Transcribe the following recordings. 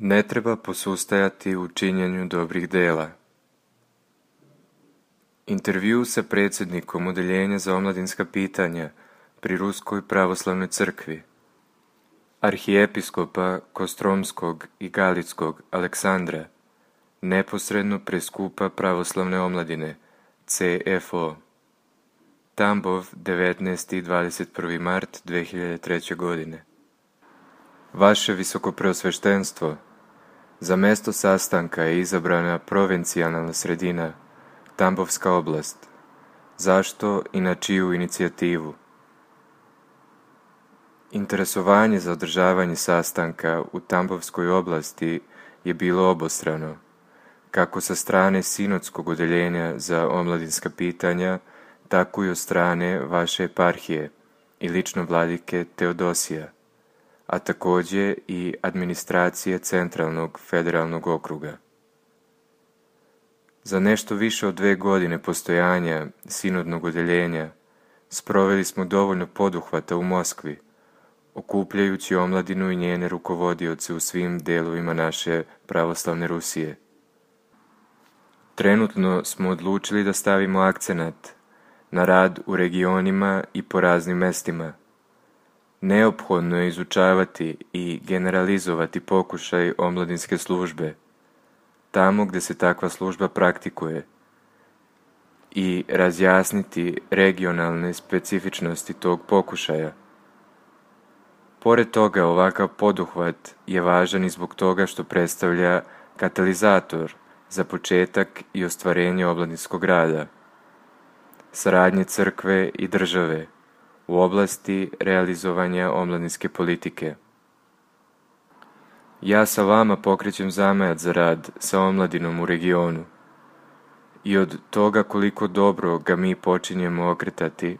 Ne treba posustajati u činjenju dobrih dela. Intervju sa predsjednikom Odeljenja za omladinska pitanja pri Ruskoj pravoslavnoj crkvi, arhijepiskopa Kostromskog i Galickog Aleksandra, neposredno pre skupa pravoslavne omladine, CFO. Tambov, 19. i 21. mart 2003. godine. Vaše visokopreosveštenstvo, za mesto sastanka je izabrana provincijalna sredina, Tambovska oblast. Zašto i na čiju inicijativu? Interesovanje za održavanje sastanka u Tambovskoj oblasti je bilo obostrano, kako sa strane Sinodskog odeljenja za omladinska pitanja, tako i od strane vaše eparhije i lično vladike Teodosija, a takođe i administracije Centralnog federalnog okruga. Za nešto više od 2 godine postojanja Sinodnog odeljenja sproveli smo dovoljno poduhvata u Moskvi, okupljajući omladinu i njene rukovodioce u svim delovima naše pravoslavne Rusije. Trenutno smo odlučili da stavimo akcenat na rad u regionima i po raznim mestima. Neophodno je izučavati i generalizovati pokušaj omladinske službe, tamo gde se takva služba praktikuje, i razjasniti regionalne specifičnosti tog pokušaja. Pored toga, ovakav poduhvat je važan i zbog toga što predstavlja katalizator za početak i ostvarenje omladinskog rada, saradnje crkve i države u oblasti realizovanja omladinske politike. Ja sa vama pokrećem zamajac za rad sa omladinom u regionu i od toga koliko dobro ga mi počinjemo okretati,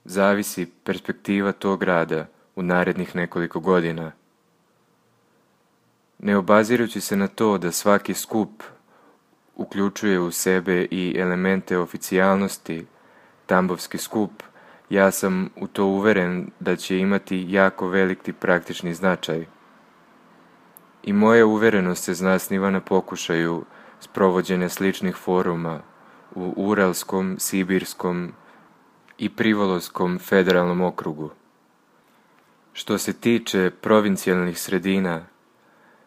zavisi perspektiva tog rada u narednih nekoliko godina. Ne obazirući se na to da svaki skup uključuje u sebe i elemente oficijalnosti, Tambovski skup, ja sam u to uveren da će imati jako veliki praktični značaj. I moja uverenost se zasniva na pokušaju sprovođenja sličnih foruma u Uralskom, Sibirskom i Privoloskom federalnom okrugu. Što se tiče provincijalnih sredina,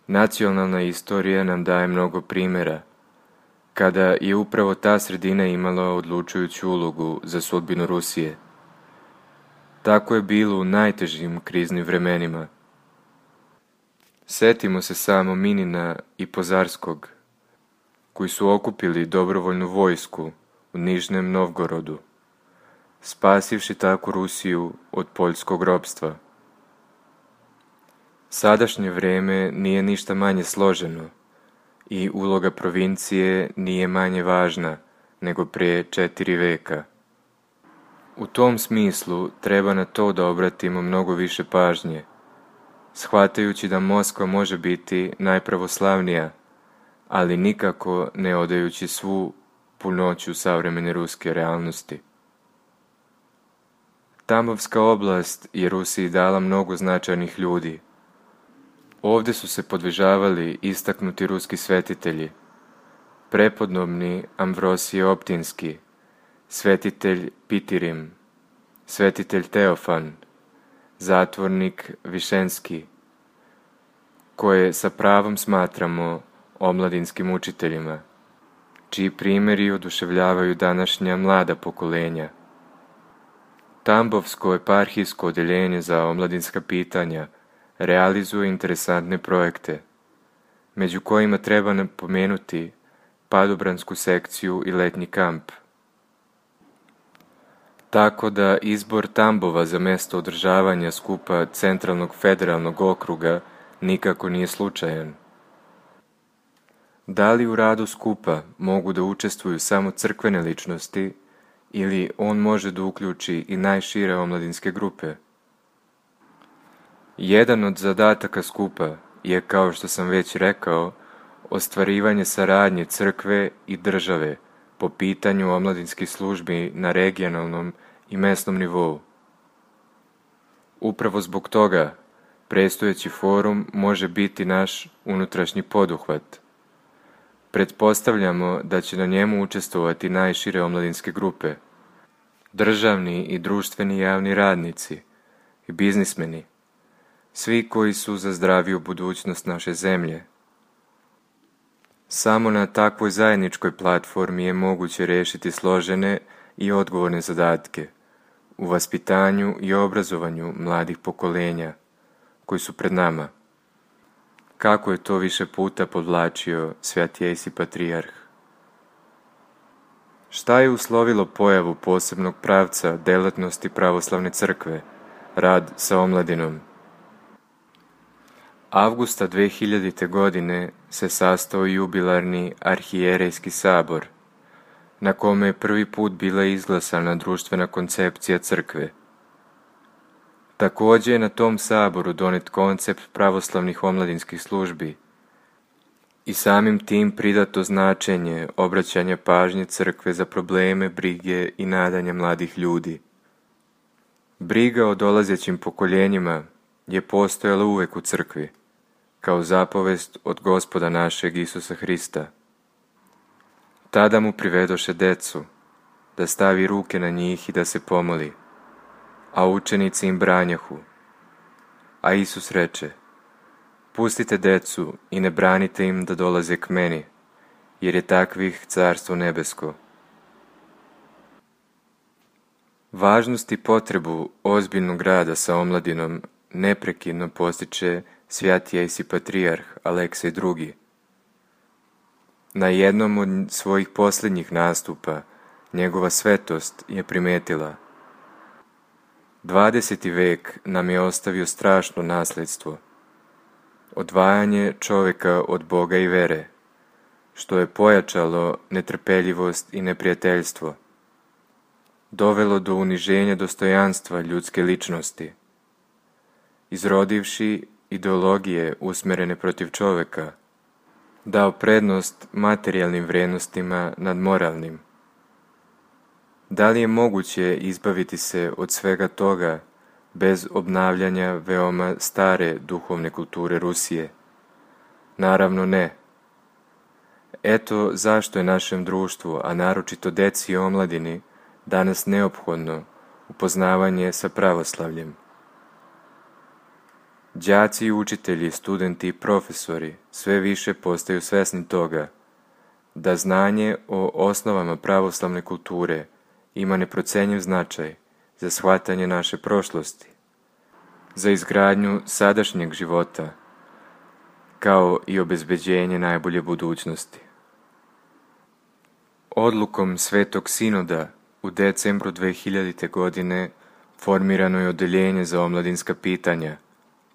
nacionalna istorija nam daje mnogo primjera, kada je upravo ta sredina imala odlučujuću ulogu za sudbinu Rusije. Tako je bilo u najtežim kriznim vremenima. Setimo se samo Minina i Pozarskog, koji su okupili dobrovoljnu vojsku u Nižnem Novgorodu, spasivši tako Rusiju od poljskog ropstva. Sadašnje vreme nije ništa manje složeno i uloga provincije nije manje važna nego prije 4 veka. U tom smislu treba na to da obratimo mnogo više pažnje, shvatajući da Moskva može biti najpravoslavnija, ali nikako ne odajući svu punoću savremene ruske realnosti. Tambovska oblast je Rusiji dala mnogo značajnih ljudi. Ovde su se podvižavali istaknuti ruski svetitelji, prepodobni Amvrosije Optinski, svetitelj Pitirim, svetitelj Teofan, zatvornik Višenski, koje sa pravom smatramo omladinskim učiteljima, čiji primjeri oduševljavaju današnja mlada pokolenja. Tambovsko eparhijsko odeljenje za omladinska pitanja realizuje interesantne projekte, među kojima treba napomenuti padobransku sekciju i letnji kamp. Tako da izbor Tambova za mesto održavanja skupa Centralnog federalnog okruga nikako nije slučajan. Da li u radu skupa mogu da učestvuju samo crkvene ličnosti ili on može da uključi i najšire omladinske grupe? Jedan od zadataka skupa je, kao što sam već rekao, ostvarivanje saradnje crkve i države po pitanju omladinskih službi na regionalnom i mesnom nivou. Upravo zbog toga Predstojeći forum može biti naš unutrašnji poduhvat. Pretpostavljamo da će na njemu učestvovati najšire omladinske grupe, državni i društveni javni radnici i biznismeni, svi koji su za zdraviju budućnost naše zemlje. Samo na takvoj zajedničkoj platformi je moguće rešiti složene i odgovorne zadatke u vaspitanju i obrazovanju mladih pokolenja koji su pred nama. Kako je to više puta podvlačio Sveti Ejsi Patrijarh. Šta je uslovilo pojavu posebnog pravca delatnosti pravoslavne crkve, rad sa omladinom? Avgusta 2000. godine se sastao jubilarni arhijerejski sabor, na kome je prvi put bila izglasana društvena koncepcija crkve. Također je na tom saboru donet koncept pravoslavnih omladinskih službi i samim tim pridato značenje obraćanja pažnje crkve za probleme, brige i nadanja mladih ljudi. Briga o dolazećim pokoljenjima je postojala uvek u crkvi, kao zapovest od Gospoda našeg Isusa Hrista. Tada mu privedoše decu, da stavi ruke na njih i da se pomoli, a učenici im branjahu. A Isus reče, pustite decu i ne branite im da dolaze k meni, jer je takvih carstvo nebesko. Važnost i potrebu ozbiljnog rada sa omladinom neprekidno postiče Sveti Ejsi Patrijarh Aleksej II. Na jednom od svojih posljednjih nastupa njegova svetost je primetila: 20. vek nam je ostavio strašno nasledstvo, odvajanje čovjeka od Boga i vere, što je pojačalo netrpeljivost i neprijateljstvo, dovelo do uniženja dostojanstva ljudske ličnosti, izrodivši ideologije usmjerene protiv čovjeka, dao prednost materijalnim vrijednostima nad moralnim. Da li je moguće izbaviti se od svega toga bez obnavljanja veoma stare duhovne kulture Rusije? Naravno ne. Eto zašto je našem društvu, a naročito deci i omladini, danas neophodno upoznavanje sa pravoslavljem. Đaci i učitelji, studenti i profesori sve više postaju svesni toga da znanje o osnovama pravoslavne kulture ima neprocenjiv značaj za shvatanje naše prošlosti, za izgradnju sadašnjeg života, kao i obezbeđenje najbolje budućnosti. Odlukom Svetog Sinoda u decembru 2000. godine formirano je odeljenje za omladinska pitanja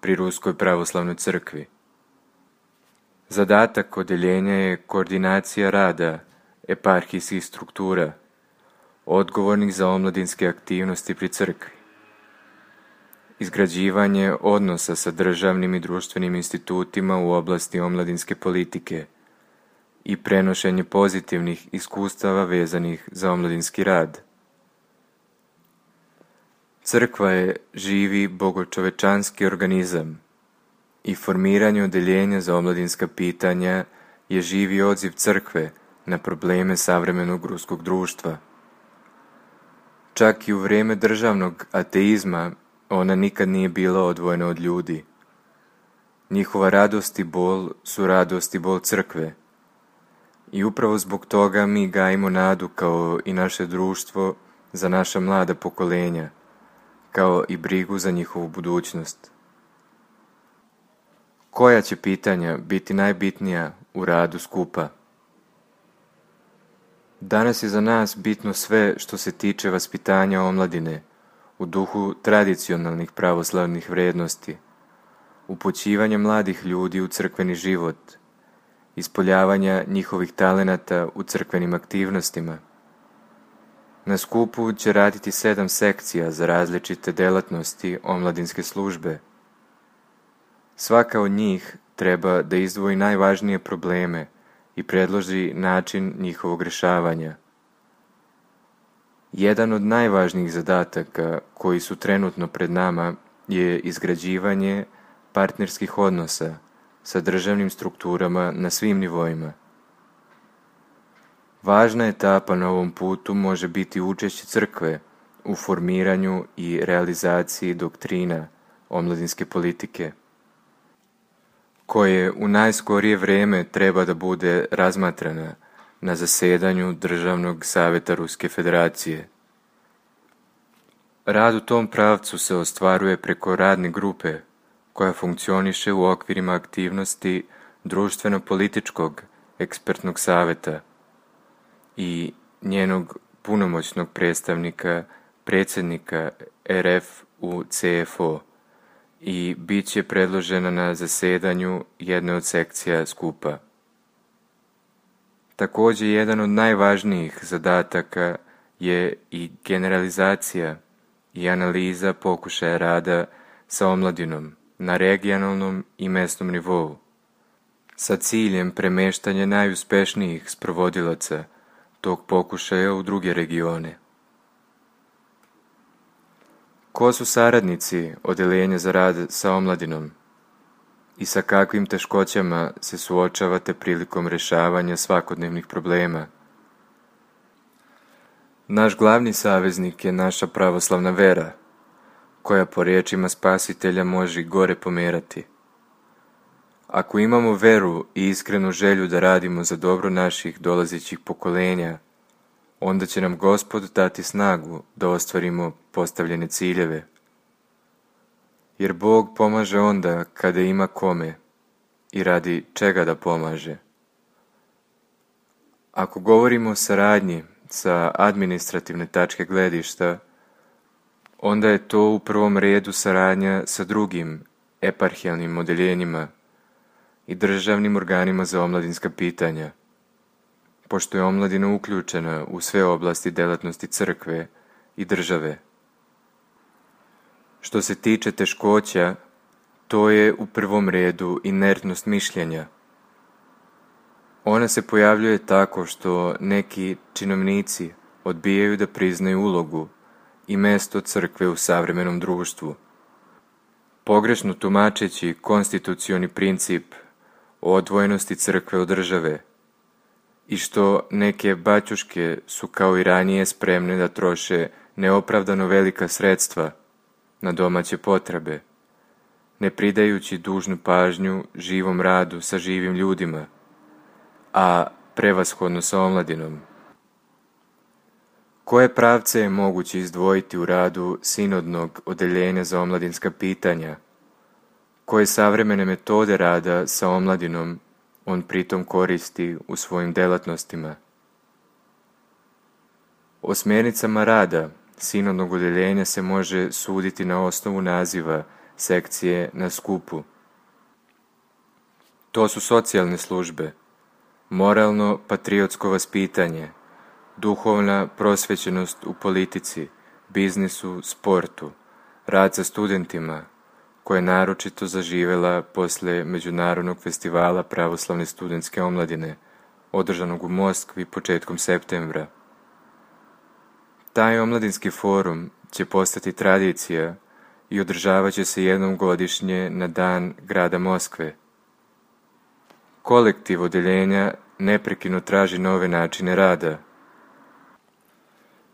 pri Ruskoj pravoslavnoj crkvi. Zadatak odeljenja je koordinacija rada eparhijskih struktura, odgovornih za omladinske aktivnosti pri crkvi, izgrađivanje odnosa sa državnim i društvenim institutima u oblasti omladinske politike i prenošenje pozitivnih iskustava vezanih za omladinski rad. Crkva je živi bogočovečanski organizam i formiranje odeljenja za omladinska pitanja je živi odziv crkve na probleme savremenog ruskog društva. Čak i u vrijeme državnog ateizma ona nikad nije bila odvojena od ljudi. Njihova radost i bol su radost i bol crkve. I upravo zbog toga mi gajimo nadu kao i naše društvo za naša mlada pokolenja, kao i brigu za njihovu budućnost. Koja će pitanja biti najbitnija u radu skupa? Danas je za nas bitno sve što se tiče vaspitanja omladine u duhu tradicionalnih pravoslavnih vrijednosti, upućivanja mladih ljudi u crkveni život, ispoljavanja njihovih talenata u crkvenim aktivnostima. Na skupu će raditi 7 sekcija za različite delatnosti omladinske službe. Svaka od njih treba da izdvoji najvažnije probleme i predloži način njihovog rješavanja. Jedan od najvažnijih zadataka koji su trenutno pred nama je izgrađivanje partnerskih odnosa sa državnim strukturama na svim nivoima. Važna etapa na ovom putu može biti učešće crkve u formiranju i realizaciji doktrina omladinske politike, koje u najskorije vrijeme treba da bude razmatrana na zasedanju Državnog savjeta Ruske federacije. Rad u tom pravcu se ostvaruje preko radne grupe koja funkcioniše u okvirima aktivnosti društveno-političkog ekspertnog savjeta i njenog punomoćnog predstavnika, predsjednika RF u CFO, i bit će predložena na zasedanju jedne od sekcija skupa. Također, jedan od najvažnijih zadataka je i generalizacija i analiza pokušaja rada sa omladinom na regionalnom i mjesnom nivou, sa ciljem premeštanja najuspješnijih sprovodilaca tog pokušaja u druge regione. Ko su saradnici Odeljenja za rad sa omladinom i sa kakvim teškoćama se suočavate prilikom rješavanja svakodnevnih problema? Naš glavni saveznik je naša pravoslavna vera, koja po riječima Spasitelja može i gore pomerati. Ako imamo veru i iskrenu želju da radimo za dobro naših dolazećih pokolenja, onda će nam Gospod dati snagu da ostvarimo postavljene ciljeve. Jer Bog pomaže onda kada ima kome i radi čega da pomaže. Ako govorimo o saradnji sa administrativne tačke gledišta, onda je to u prvom redu saradnja sa drugim eparhijalnim odeljenjima i državnim organima za omladinska pitanja, pošto je omladina uključena u sve oblasti delatnosti crkve i države. Što se tiče teškoća, to je u prvom redu inertnost mišljenja. Ona se pojavljuje tako što neki činovnici odbijaju da priznaju ulogu i mjesto crkve u savremenom društvu, pogrešno tumačeći konstitucioni princip o odvojenosti crkve od države, i što neke baćuške su kao i ranije spremne da troše neopravdano velika sredstva na domaće potrebe, ne pridajući dužnu pažnju živom radu sa živim ljudima, a prevashodno sa omladinom. Koje pravce je moguće izdvojiti u radu sinodnog odeljenja za omladinska pitanja? Koje savremene metode rada sa omladinom on pritom koristi u svojim delatnostima? O smjernicama rada sinodnog odeljenja se može suditi na osnovu naziva sekcije na skupu. To su socijalne službe, moralno-patriotsko vaspitanje, duhovna prosvećenost u politici, biznisu, sportu, rad sa studentima, koja je naročito zaživjela posle Međunarodnog festivala pravoslavne studentske omladine, održanog u Moskvi početkom septembra. Taj omladinski forum će postati tradicija i održavat će se jednom godišnje na dan grada Moskve. Kolektiv odeljenja neprekidno traži nove načine rada.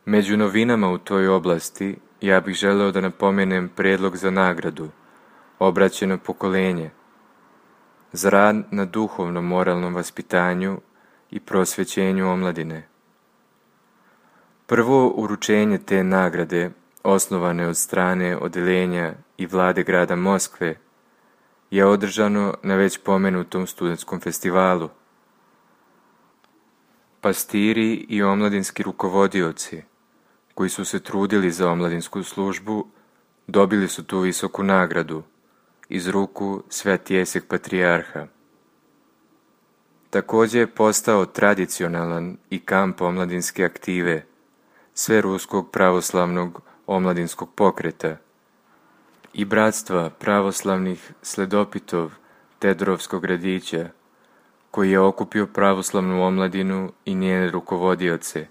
Među novinama u toj oblasti ja bih želeo da napomenem predlog za nagradu Obraćeno pokolenje za rad na duhovnom moralnom vaspitanju i prosvećenju omladine. Prvo uručenje te nagrade, osnovane od strane odeljenja i vlade grada Moskve, je održano na već pomenutom studentskom festivalu. Pastiri i omladinski rukovodioci, koji su se trudili za omladinsku službu, dobili su tu visoku nagradu iz ruku Svetjeseg patrijarha. Također je postao tradicionalan i kamp omladinske aktive Sveruskog pravoslavnog omladinskog pokreta i bratstva pravoslavnih sledopitov Tedorovskog gradića, koji je okupio pravoslavnu omladinu i njene rukovodioce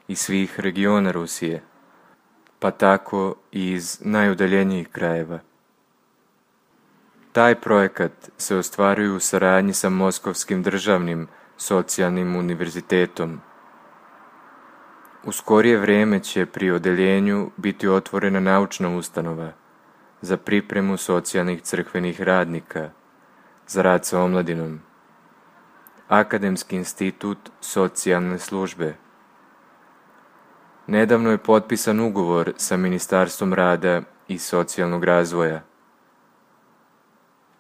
iz svih regiona Rusije, pa tako i iz najudaljenijih krajeva. Taj projekat se ostvaruje u saradnji sa Moskovskim državnim socijalnim univerzitetom. U skorije vrijeme će pri odeljenju biti otvorena naučna ustanova za pripremu socijalnih crkvenih radnika za rad sa omladinom. Akademski institut socijalne službe. Nedavno je potpisan ugovor sa Ministarstvom rada i socijalnog razvoja.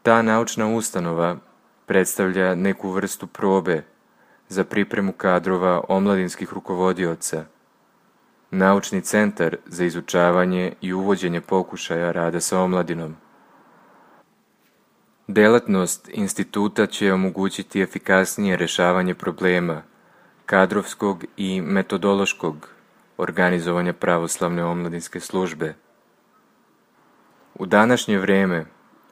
Ta naučna ustanova predstavlja neku vrstu probe za pripremu kadrova omladinskih rukovodioca, naučni centar za izučavanje i uvođenje pokušaja rada sa omladinom. Delatnost instituta će omogućiti efikasnije rješavanje problema kadrovskog i metodološkog organizovanja pravoslavne omladinske službe. U današnje vrijeme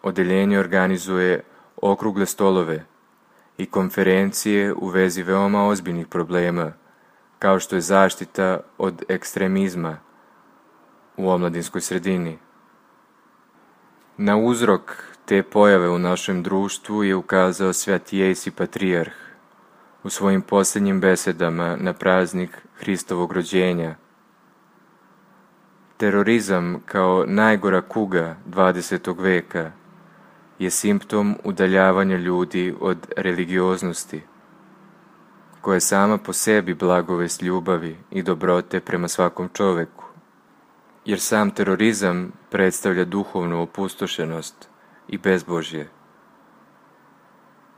odeljenje organizuje okrugle stolove i konferencije u vezi veoma ozbiljnih problema, kao što je zaštita od ekstremizma u omladinskoj sredini. Na uzrok te pojave u našem društvu je ukazao Sveti Jejsi Patrijarh u svojim posljednjim besedama na praznik Hristovog rođenja. Terorizam kao najgora kuga 20. veka je simptom udaljavanja ljudi od religioznosti, koja je sama po sebi blagovest ljubavi i dobrote prema svakom čoveku, jer sam terorizam predstavlja duhovnu opustošenost i bezbožje.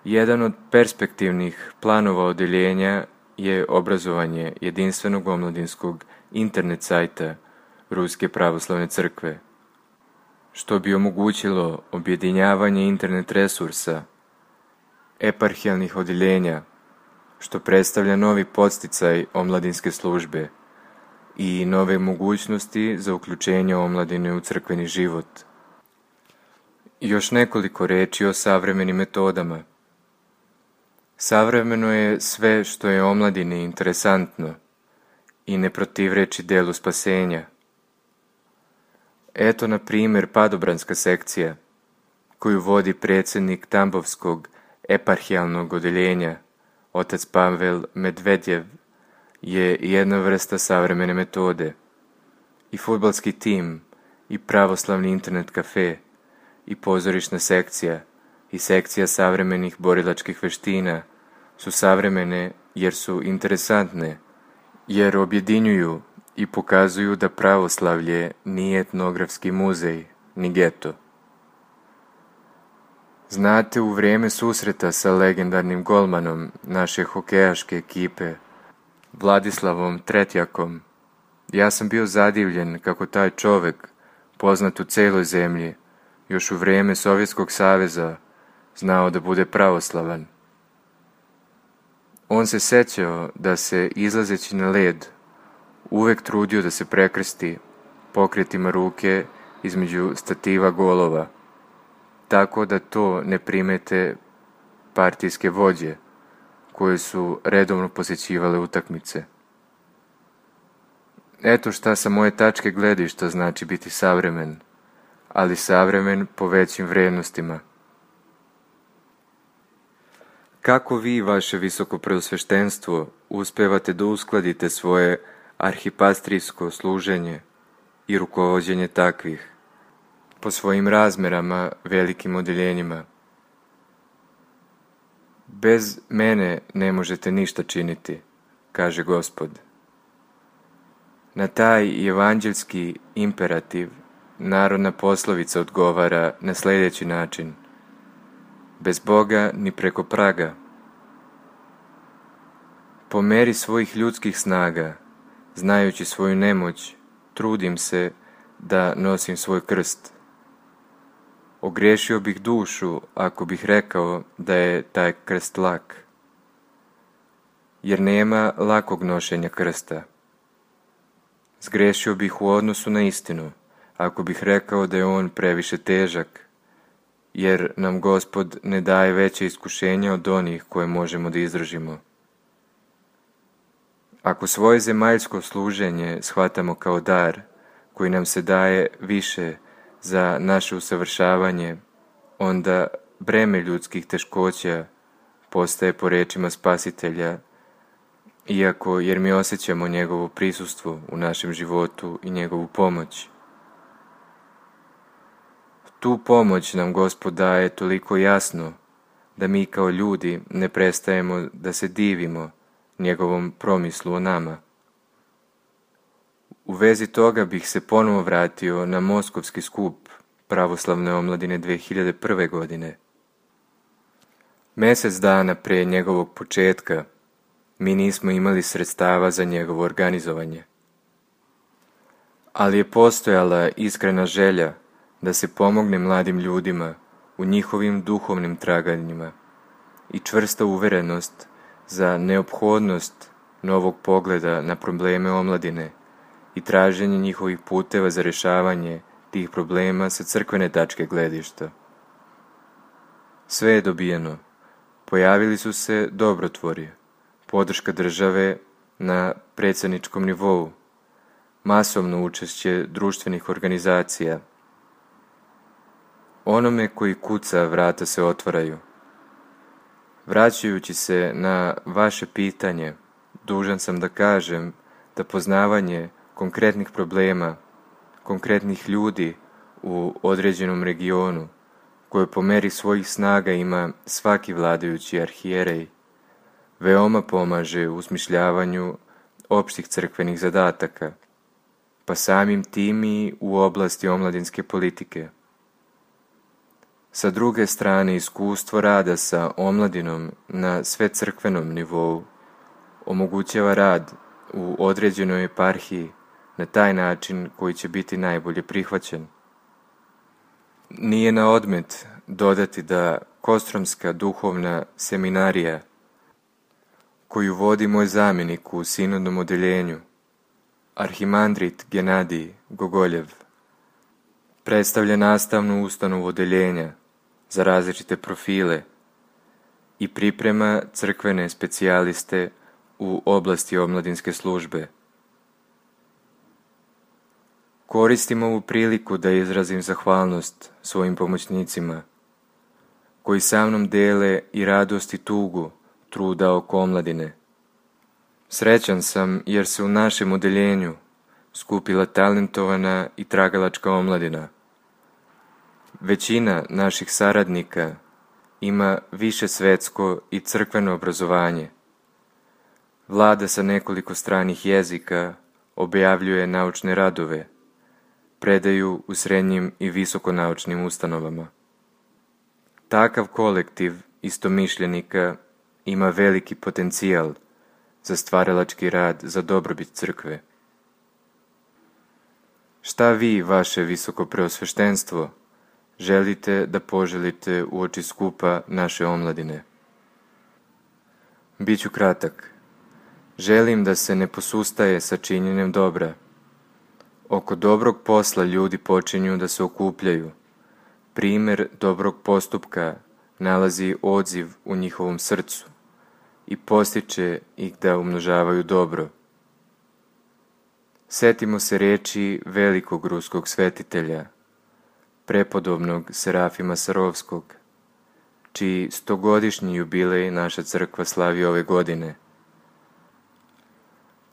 Jedan od perspektivnih planova odeljenja je obrazovanje jedinstvenog omladinskog internet sajta Ruske pravoslavne crkve, što bi omogućilo objedinjavanje internet resursa eparhijalnih odeljenja, što predstavlja novi podsticaj omladinske službe i nove mogućnosti za uključenje omladine u crkveni život. Još nekoliko riječi o savremenim metodama. Savremeno je sve što je omladini interesantno i ne protivreči delu spasenja. Eto, na primjer, padobranska sekcija, koju vodi predsjednik Tambovskog eparhijalnog odeljenja, otac Pavel Medvedjev, je jedna vrsta savremene metode. I fudbalski tim, i pravoslavni internet kafe, i pozorišna sekcija, i sekcija savremenih borilačkih veština su savremene jer su interesantne, jer objedinjuju i pokazuju da pravoslavlje nije etnografski muzej, ni geto. Znate, u vrijeme susreta sa legendarnim golmanom naše hokejaške ekipe, Vladislavom Tretjakom, ja sam bio zadivljen kako taj čovek, poznat u celoj zemlji, još u vrijeme Sovjetskog saveza, znao da bude pravoslavan. On se sećao da se, izlazeći na led, uvek trudio da se prekrsti pokretima ruke između stativa golova, tako da to ne primete partijske vođe koje su redovno posjećivale utakmice. Eto šta sa moje tačke gledišta znači biti savremen, ali savremen po većim vrijednostima. Kako vi, vaše visokopreosveštenstvo, uspevate da uskladite svoje arhipastrijsko služenje i rukovođenje takvih, po svojim razmerama velikim odeljenjima? Bez mene ne možete ništa činiti, kaže Gospod. Na taj evanđelski imperativ narodna poslovica odgovara na sljedeći način: bez Boga ni preko praga. Po meri svojih ljudskih snaga, znajući svoju nemoć, trudim se da nosim svoj krst. Ogriješio bih dušu ako bih rekao da je taj krst lak, jer nema lakog nošenja krsta. Zgrešio bih u odnosu na istinu ako bih rekao da je on previše težak, jer nam Gospod ne daje veće iskušenja od onih koje možemo da izdržimo. Ako svoje zemaljsko služenje shvatamo kao dar koji nam se daje više za naše usavršavanje onda breme ljudskih teškoća postaje po rečima Spasitelja, iako jer mi osjećamo njegovo prisustvo u našem životu i njegovu pomoć. Tu pomoć nam Gospod daje toliko jasno da mi kao ljudi ne prestajemo da se divimo njegovom promislu o nama. U vezi toga bih se ponovo vratio na Moskovski skup pravoslavne omladine 2001. godine. Mjesec dana pre njegovog početka mi nismo imali sredstava za njegovo organizovanje. Ali je postojala iskrena želja da se pomogne mladim ljudima u njihovim duhovnim traganjima i čvrsta uverenost za neophodnost novog pogleda na probleme omladine i traženje njihovih puteva za rješavanje tih problema sa crkvene tačke gledišta. Sve je dobijeno. Pojavili su se dobrotvori, podrška države na predsjedničkom nivou, masovno učešće društvenih organizacija. Onome koji kuca vrata se otvaraju. Vraćajući se na vaše pitanje, dužan sam da kažem da poznavanje konkretnih problema, konkretnih ljudi u određenom regionu, koje po meri svojih snaga ima svaki vladajući arhijerej, veoma pomaže u smišljavanju opštih crkvenih zadataka, pa samim tim i u oblasti omladinske politike. Sa druge strane, iskustvo rada sa omladinom na svecrkvenom nivou omogućava rad u određenoj eparhiji na taj način koji će biti najbolje prihvaćen. Nije na odmet dodati da Kostromska duhovna seminarija, koju vodi moj zamjenik u sinodnom odeljenju, arhimandrit Genadij Gogoljev, predstavlja nastavnu ustanovu odeljenja za različite profile i priprema crkvene specijaliste u oblasti omladinske službe. Koristim ovu priliku da izrazim zahvalnost svojim pomoćnicima, koji sa mnom dele i radost i tugu truda oko omladine. Srećan sam jer se u našem odeljenju skupila talentovana i tragalačka omladina. Većina naših saradnika ima više svetsko i crkveno obrazovanje. Vlada sa nekoliko stranih jezika, objavljuje naučne radove, predaju u srednjim i visokonaučnim ustanovama. Takav kolektiv istomišljenika ima veliki potencijal za stvaralački rad za dobrobit crkve. Šta vi, vaše visoko preosveštenstvo, želite da poželite uoči skupa naše omladine? Biću kratak. Želim da se ne posustaje sa činjenjem dobra. Oko dobrog posla ljudi počinju da se okupljaju. Primer dobrog postupka nalazi odziv u njihovom srcu i postiče ih da umnožavaju dobro. Setimo se reči velikog ruskog svetitelja, prepodobnog Serafima Sarovskog, čiji 100-godišnji jubilej naša crkva slavi ove godine.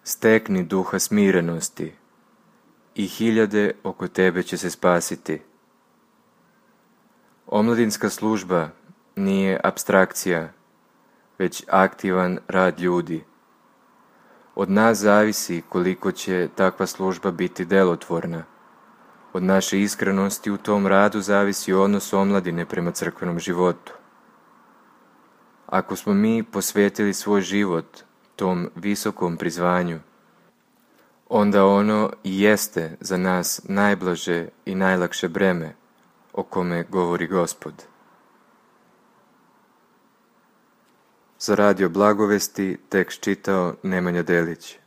Stekni duha smirenosti i hiljade oko tebe će se spasiti. Omladinska služba nije apstrakcija, već aktivan rad ljudi. Od nas zavisi koliko će takva služba biti delotvorna. Od naše iskrenosti u tom radu zavisi odnos omladine prema crkvenom životu. Ako smo mi posvetili svoj život tom visokom prizvanju, onda ono i jeste za nas najblaže i najlakše breme o kome govori Gospod. Za Radio Blagovesti tekst čitao Nemanja Delić.